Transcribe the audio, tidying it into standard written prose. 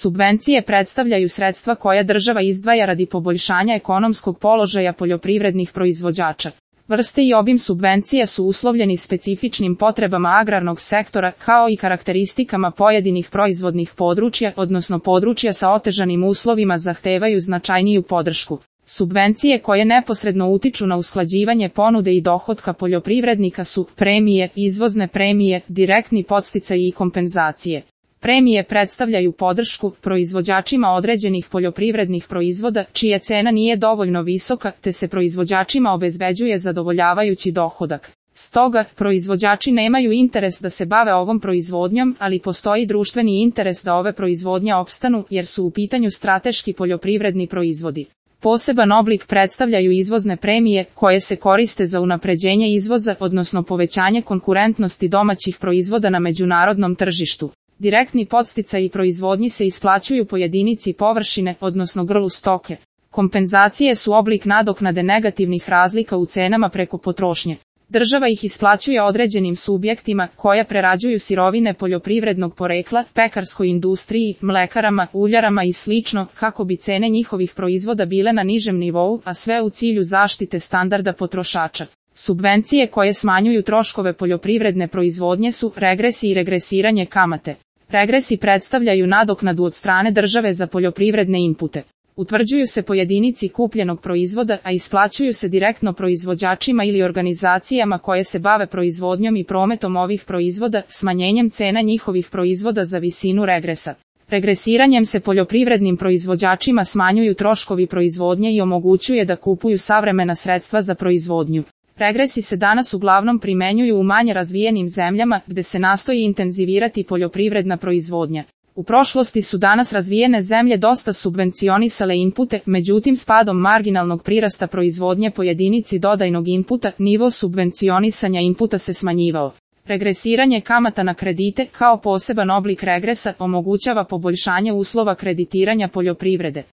Subvencije predstavljaju sredstva koja država izdvaja radi poboljšanja ekonomskog položaja poljoprivrednih proizvođača. Vrste i obim subvencija su uslovljeni specifičnim potrebama agrarnog sektora kao i karakteristikama pojedinih proizvodnih područja, odnosno područja sa otežanim uslovima zahtevaju značajniju podršku. Subvencije koje neposredno utiču na usklađivanje ponude i dohotka poljoprivrednika su premije, izvozne premije, direktni podsticaji i kompenzacije. Premije predstavljaju podršku proizvođačima određenih poljoprivrednih proizvoda čija cena nije dovoljno visoka te se proizvođačima obezbeđuje zadovoljavajući dohodak. Stoga, proizvođači nemaju interes da se bave ovom proizvodnjom, ali postoji društveni interes da ove proizvodnje opstanu jer su u pitanju strateški poljoprivredni proizvodi. Poseban oblik predstavljaju izvozne premije koje se koriste za unapređenje izvoza, odnosno povećanje konkurentnosti domaćih proizvoda na međunarodnom tržištu. Direktni podsticaji proizvodnji se isplaćuju po jedinici površine, odnosno grlu stoke. Kompenzacije su oblik nadoknade negativnih razlika u cenama preko potrošnje. Država ih isplaćuje određenim subjektima koja prerađuju sirovine poljoprivrednog porekla, pekarskoj industriji, mlekarama, uljarama i sl. Kako bi cene njihovih proizvoda bile na nižem nivou, a sve u cilju zaštite standarda potrošača. Subvencije koje smanjuju troškove poljoprivredne proizvodnje su regresi i regresiranje kamate. Regresi predstavljaju nadoknadu od strane države za poljoprivredne inpute. Utvrđuju se po jedinici kupljenog proizvoda, a isplaćuju se direktno proizvođačima ili organizacijama koje se bave proizvodnjom i prometom ovih proizvoda, smanjenjem cena njihovih proizvoda za visinu regresa. Regresiranjem se poljoprivrednim proizvođačima smanjuju troškovi proizvodnje i omogućuje da kupuju savremena sredstva za proizvodnju. Regresi se danas uglavnom primenjuju u manje razvijenim zemljama gde se nastoji intenzivirati poljoprivredna proizvodnja. U prošlosti su danas razvijene zemlje dosta subvencionisale inpute, međutim s padom marginalnog prirasta proizvodnje po jedinici dodajnog inputa, nivo subvencionisanja inputa se smanjivao. Regresiranje kamata na kredite, kao poseban oblik regresa, omogućava poboljšanje uslova kreditiranja poljoprivrede.